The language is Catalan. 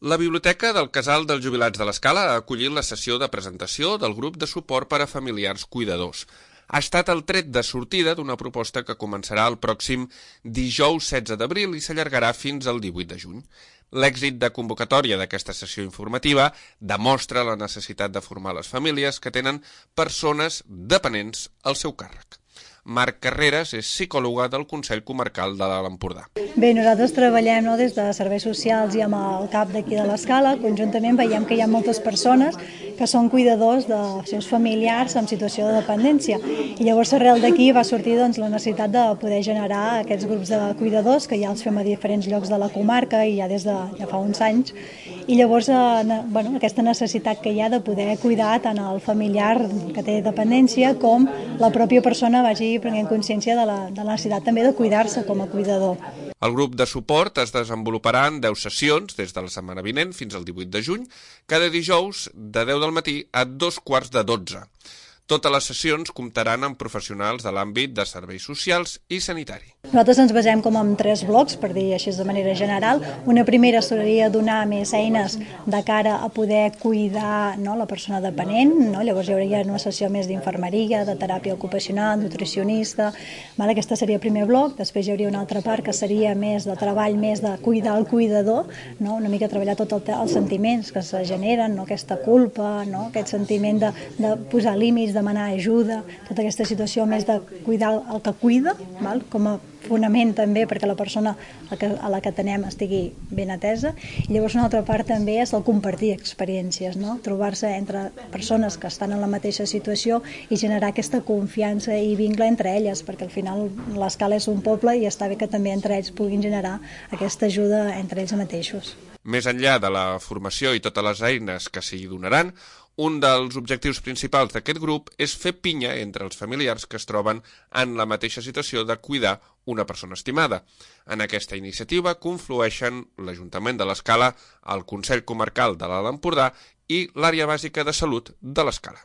La Biblioteca del Casal dels Jubilats de l'Escala ha acollit la sessió de presentació del grup de suport per a familiars cuidadors. Ha estat el tret de sortida d'una proposta que començarà el pròxim dijous 16 d'abril i s'allargarà fins al 18 de juny. L'èxit de convocatòria d'aquesta sessió informativa demostra la necessitat de formar les famílies que tenen persones dependents al seu càrrec. Marc Carreras és psicòloga del Consell Comarcal de l'Alt Empordà. Bé, nosaltres treballem des de serveis socials i amb el CAP d'aquí de l'Escala. Conjuntament veiem que hi ha moltes persones que són cuidadors dels seus familiars en situació de dependència. I llavors arrel d'aquí va sortir la necessitat de poder generar aquests grups de cuidadors, que ja els fem a diferents llocs de la comarca i ja des de ja fa uns anys. I llavors aquesta necessitat que hi ha de poder cuidar tant el familiar que té dependència com la pròpia persona vagi prenent consciència de la necessitat també de cuidar-se com a cuidador. El grup de suport es desenvoluparà en 10 sessions des de la setmana vinent fins al 18 de juny, cada dijous de 10 del matí a 11:45. Totes les sessions comptaran amb professionals de l'àmbit de serveis socials i sanitari. Nosaltres ens basem com en 3 blocs, per dir així de manera general. Una primera seria donar més eines de cara a poder cuidar la persona dependent. Llavors hi hauria una sessió més d'infermeria, de teràpia ocupacional, nutricionista. Aquest seria el primer bloc. Després hi hauria una altra part que seria més de treball, més de cuidar el cuidador, una mica treballar tots els sentiments que se generen, aquesta culpa, aquest sentiment de posar límits, demanar ajuda, tota aquesta situació més de cuidar el que cuida, com a fonament també perquè la persona a la que atenem estigui ben atesa. I llavors una altra part també és el compartir experiències, trobar-se entre persones que estan en la mateixa situació i generar aquesta confiança i vincle entre elles, perquè al final l'Escala és un poble i està bé que també entre ells puguin generar aquesta ajuda entre ells mateixos. Més enllà de la formació i totes les eines que s'hi donaran, un dels objectius principals d'aquest grup és fer pinya entre els familiars que es troben en la mateixa situació de cuidar una persona estimada. En aquesta iniciativa conflueixen l'Ajuntament de l'Escala, el Consell Comarcal de l'Alt Empordà i l'Àrea Bàsica de Salut de l'Escala.